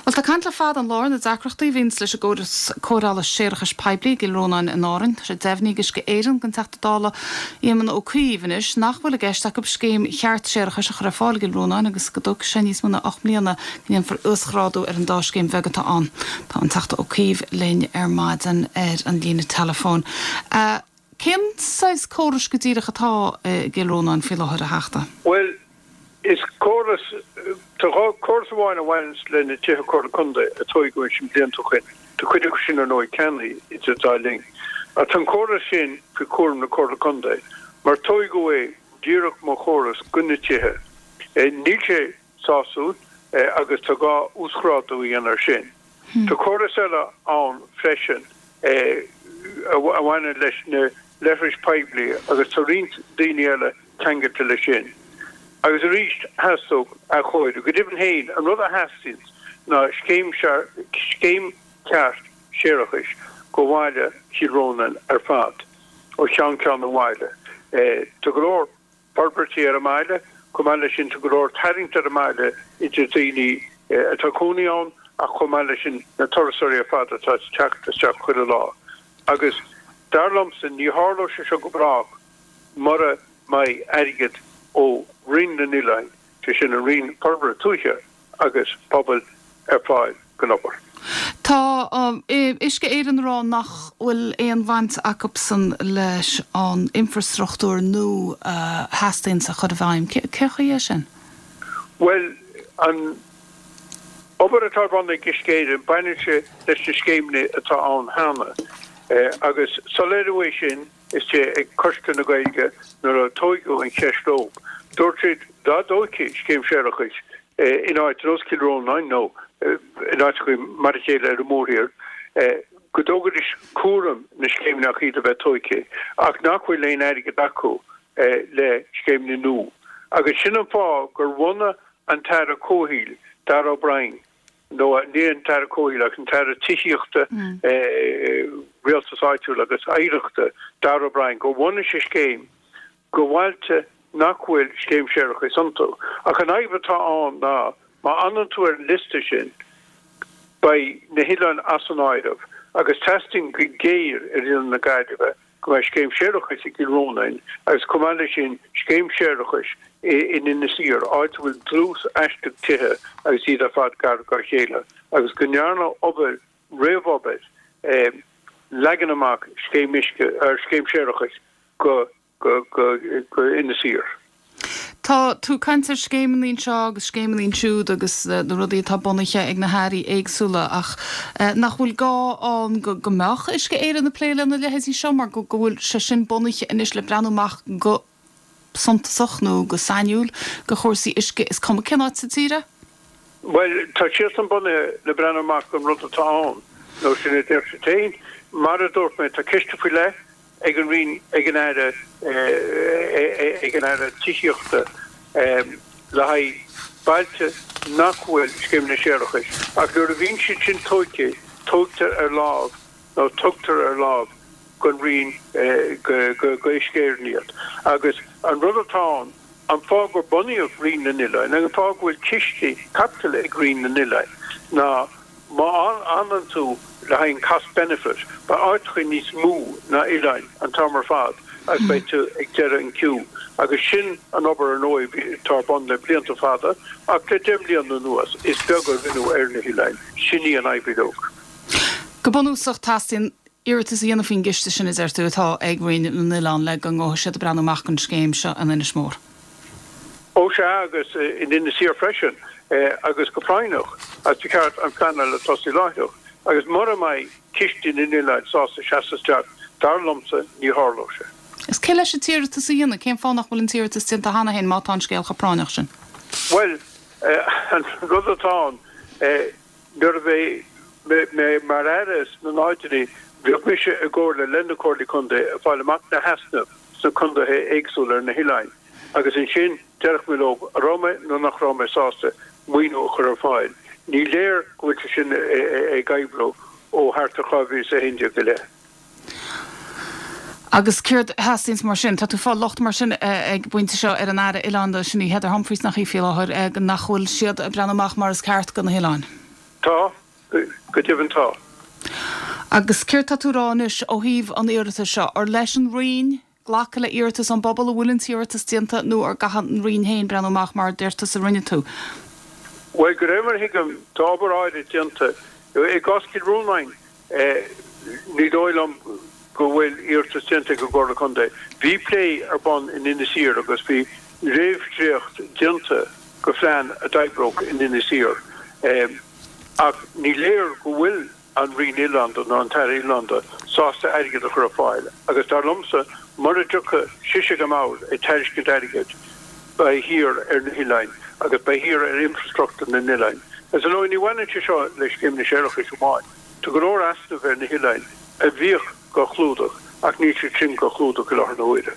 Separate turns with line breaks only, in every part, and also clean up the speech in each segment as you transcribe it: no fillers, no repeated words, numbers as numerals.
Bhuel, tá caint le fada an lá ar na deacrachtaí a bhíonns leis an gcóras cóireála séarachais poiblí i gCill Rónáin in Árainn. Tá sé deimhnithe ag Uisce Éireann don Teachta Dála Éamon Ó Cuív anois nach bhfuil i gceist acu scéim cheart séarachais a chur ar fáil i gCill Rónáin agus go dtógfaidh sé níos mó ná 8 mbliana go ndéanfar uasghrádú ar an dá scéim bheag atá ann. Tá an Teachta Ó Cuív linn ar maidin ar an líne teileafóin. Cén saghas córais go díreach atá i gCill Rónáin faoi láthair, a Theachta?
Bhuel, is córas, tá córas amháin a bhaineanns le na tithe Comhairle Contae a tóigeadh ansin blianta ó shoin. Tá cuid acu sin ar ndóigh ceannaithe idir an dá linn. Ach tá an córas sin faoi chúram na Comhairle Contae mar tóigeadh é díreach mar chóras go na tithe. Níl sé sásúil agus tá gá uasghrádú a dhéanamh air sin. Tá córas eile ann freisin a bhaineann leis na leithris poiblí agus tá roinnt daoine eile ceangailte leis sin. Agus arís theastódh athchóiriú. Go deimhin féin, an rud a theastaíonns ná scéim scéim ceart séarachais go bhaile Chill Rónáin ar fad, ó cheann ceann an bhaile. Tá go leor. forbairtí ar an mbaile. Chomh maith leis sin, tá go leor tarraingt ar an mbaile idir daoine atá ag cónaí ann ach chomh maith leis sin na turasóirí ar fad atá ag teacht isteach chuile lá. Agus dar liomsa, ní tharlóidh sé seo go brách mura mbeidh airgead ó Roinn na nOileáin, sé sin an Roinn Forbartha Tuaithe agus Pobail, ar fáil don obair.
Tá Uisce Éireann ag rá nach bhfuil aon bhaint acubsan leis an infreastruchtúr nua a theastaíonns a chur i bhfeidhm. Cén chaoi é sin?
Bhuel, an obair atá ar bun ag Uisce Éireann, baineann sé leis na scéimeanna atá ann cheana agus soiléiriú é sin istigh ag Coiste na Gaeilge nuair a tóigeadh an cheist leo. Dúirt siad dá dtóigfí scéim séarachais in áit ar nós Cill Rónáin nó in áiteacha mar a chéile ar an mórthír, go dtógfaidís cúram na scéimeanna ach iad a bheith tóigthe, ach nach bhfuil aon airgead acu le scéimeanna nua. Agus sin an fáth gur bhunaigh an tAire Comhshaoil, Darragh O'Brien, nó ní an tAire Comhshaoil ach an tAire Tithíochta, Rialtais Áitiúil agus Oidhreachta, Darragh O'Brien, gur bhunaigh sé scéim go bhailte nach bhfuil scéim séarachais iontu. Ach an fhadhb atá ann ná má fhanann tú ar an liosta sin, beidh na hoileáin as an áireamh agus teastaíonn go géar ar Oileán na Gaillimhe go mbeidh scéim séarachais i gCill Rónáin agus chomh maith leis sin scéim séarachais in Inis Oírr, áit a bhfuil dlús aisteach tithe agus iad ar fad gar dá chéile agus go ndearnadh obair réamhobair leagan amach scéim uisce, scéim séarachais go go Inis Oírr.
Tá tú ag caint ar scéimeanna anseo agus scéimeanna ansiúd agus na rudaí atá bunaithe ag na hairí éagsúla ach nach bhfuil gá ann go mbeadh Uisce Éireann ag plé lena leithéidí seo mar go bhfuil sé sin bunaithe anois le breathnú amach go suntasach nó go sainiúil go chúrsaí uisce is cuma cén áit sa tír é?
Bhuel, tá siadsan bunaithe le breathnú amach don rud atá ann, nó sin a deir siad féin. Mar a dúirt mé, tá ciste faoi leith ag an Roinn, ag an Aire, ag an Aire Tithíochta le haghaidh bailte nach bhfuil scéimeanna séarachais, ach nuair a bhíonn siad sin tóigthe, tóigtear ar láimh nó tugtar ar láimh don Roinn, go Uisce Éireann iad. Agus an rud atá ann, an fáth gur bunaíodh Roinn na nOileán, an fáth go bhfuil cistí caipitil ag Roinn na nOileán ná, Má fhanann tú le haghaidh an cost benefit, beidh áiteacha níos mó ná oileáin an t-am ar fad agus beidh tú ag deireadh an queue. Agus sin an obair ar ndóigh atá ar bun le blianta fada ach le 10 mbliana anuas is beag a rinneadh ar na hoileáin. Sin í an fhadhb uileag.
Go bunúsach teastaíonn iarratas a dhéanamh faoin gciste sin a deir tú atá ag Roinn na nOileán le go ngabhfaidh siad ag breathnú amach don scéim seo in Inis Mór.
Ó sea, agus in Inis Oírr freisin, agus go práinneach, agus ba cheart an phleanáil a tosú láithreach. Agus mura mbeidh Ciste na nOileán sásta seasamh isteach, dar liomsa, ní tharlóidh sé.
Is cé leis an t-iarratas a dhéanamh? Cén fáth nach bhfuil an t-iarratas déanta cheana féin má tá an scéal chomh práinneach sin?
Bhuel, an rud atá ann, nuair a bhí mé mar Aire sna náididí, bhíodh mise i gcomhairle le na Comhairlí Contae ag fáil amach na heasnaimh sna contaetha éagsúla ar na hoileáin agus ansin déarfadh mé leo an raibh mé nó nach raibh mé sásta maoiniú a chur ar fáil. Ní léir go bhfuil sé sin ag oibriú ó thart ar 2011 i leith.
Agus céard a theastaíonns mar sin? Tá tú ag fáil locht mar sin ag an bpointe seo ar an Aire Oileán, sin í Heather Humphreys nach í faoi láthair, nach bhfuil siad ag breathnú amach mar is ceart do na hoileáin?
Tá, go deimhin tá.
Agus céard tá tú a rá anois ó thaobh an iarratais seo? Ar leis an Roinn glacadh le iarratas ón bpobal, an bhfuil an t-iarratas déanta nó ar gcaithfidh an Roinn féin breathnú amach mar a deir tusa a rinne tú?
Bhuel, de réir mar a thuigim, tá obair áirid déanta. I gcás Chill Rónáin, ní dóigh liom go bhfuil iarratas déanta ag an gComhairle Contae. Bhí plé ar bun in Inis Oírr agus bhí réamhdhréacht déanta de phlean a d'oibreodh in Inis Oírr. Ach ní léir go bhfuil an Roinn Oileánda nó an tAire Oileánda sásta airgead a chur ar fáil agus dar liomsa mura dtiocfaidh sise go mbord ag tairiscint airgid beidh thiar ar na hoileáin agus beidh thiar ar infrastruchtúr na n-oileáin. Is ar ndóigh ní bhaineann sé seo le scéimeanna séarachais amháin. Tá go leor easnamh ar na hoileáin a bhíodh dhá chlúdach ach níl siad sin dhá chlúdach i láthair na huaire.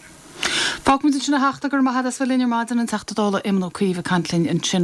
Fágfaimid ansin a Theachta, go raibh maith agat as bheith linn ar maidin, an Teachta Dála Éamon Ó Cuív ag caint linn ansin.